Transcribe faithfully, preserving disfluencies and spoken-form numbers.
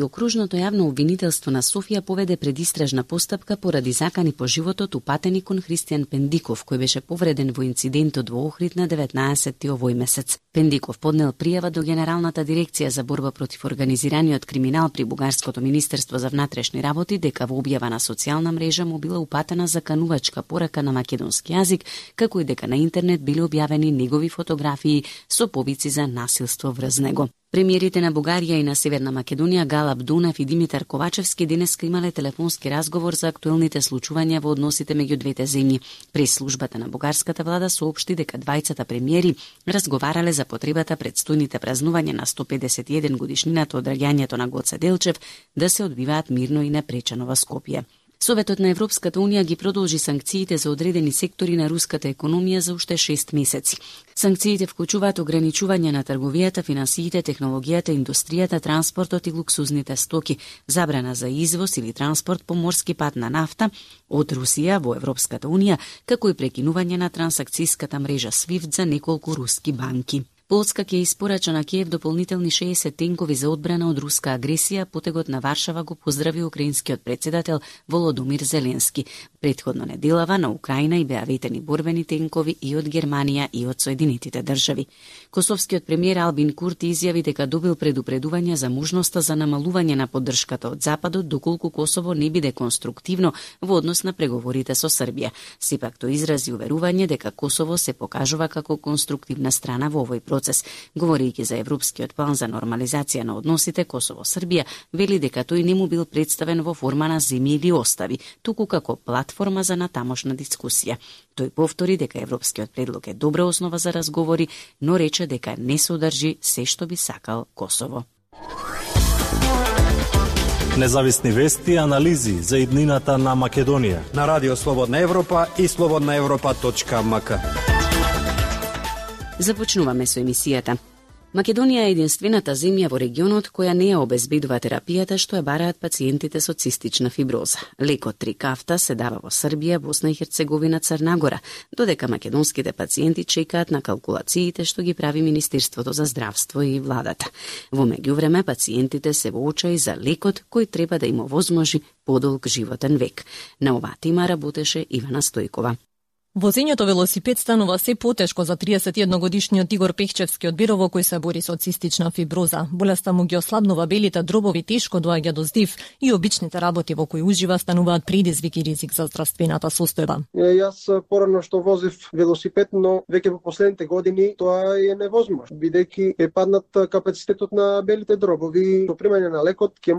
Окружното јавно обвинителство на Софија поведе предистражна постапка поради закани по животот упатени кон Христијан Пендиков, кој беше повреден во инцидентот во Охрид на деветнаесетти овој месец. Пендиков поднел пријава до Генералната дирекција за борба против организираниот криминал при Бугарското министерство за внатрешни работи дека во објава на социјална мрежа му била упатена заканувачка порака на македонски јазик, како и дека на интернет биле објавени негови фотографии со повици за насилство врз него. Премиерите на Бугарија и на Северна Македонија Гала Абдунав и Димитар Ковачевски денеска имале телефонски разговор за актуелните случувања во односите меѓу двете земји. Прес-службата на бугарската влада соопшти дека двајцата премиери разговарале за потребата предстојните празнувања на сто педесет и еден годишнината од раѓањето на Гоце Делчев да се одвиваат мирно и непречено во Скопје. Советот на Европската Унија ги продолжи санкциите за одредени сектори на руската економија за уште шест месеци. Санкциите вклучуваат ограничување на трговијата, финансиите, технологијата, индустријата, транспортот и луксузните стоки, забрана за извоз или транспорт по морски пат на нафта од Русија во Европската Унија, како и прекинување на трансакцијската мрежа свифт за неколку руски банки. Полска ќе испорача на Киев дополнителни шеесет тенкови за одбрана од руска агресија. Потегот на Варшава го поздрави украинскиот председател Володомир Зеленски. Предходно неделава на Украина и беа ветени борбени тенкови и од Германија и од Соединетите држави. Косовскиот премиер Албин Курти изјави дека добил предупредување за можноста за намалување на поддршката од Западот доколку Косово не биде конструктивно во однос на преговорите со Србија. Сепак тој изрази уверување дека Косово се покажува како конструктивна страна во овој процес. Говорејќи за европскиот план за нормализација на односите Косово-Србија, вели дека тој не му бил представен во форма на земји или остави, туку како платформа за натамошна дискусија. Тој повтори дека европскиот предлог е добра основа за разговори, но рече дека не содржи се што би сакал Косово. Независни вести и анализи за иднината на Македонија на Радио Слободна Европа и слободна европа точка ем ка. Започнуваме со емисијата. Македонија е единствената земја во регионот која не ја обезбедува терапијата што ја бараат пациентите со цистична фиброза. Лекот Трикафта се дава во Србија, Босна и Херцеговина, Црна Гора, додека македонските пациенти чекаат на калкулациите што ги прави Министерството за здравство и владата. Во меѓувреме пациентите се во очаи за лекот кој треба да им овозможи подолг животен век. На оваа тема работеше Ивана Стојкова. Возењето велосипед станува се потешко за триесет и едногодишниот Игор Пехчевски од Бирово кој се бори со цистична фиброза. Болеста му ги ослабнува белите дробови, тешко доаѓа до здив и обичните работи во кои ужива стануваат предизвик и ризик за здравствената состојба. Јас порано што возив велосипед, но веќе во последните години тоа е невозможно, бидејќи е паднат капацитетот на белите дробови. Со примање на лекот ќе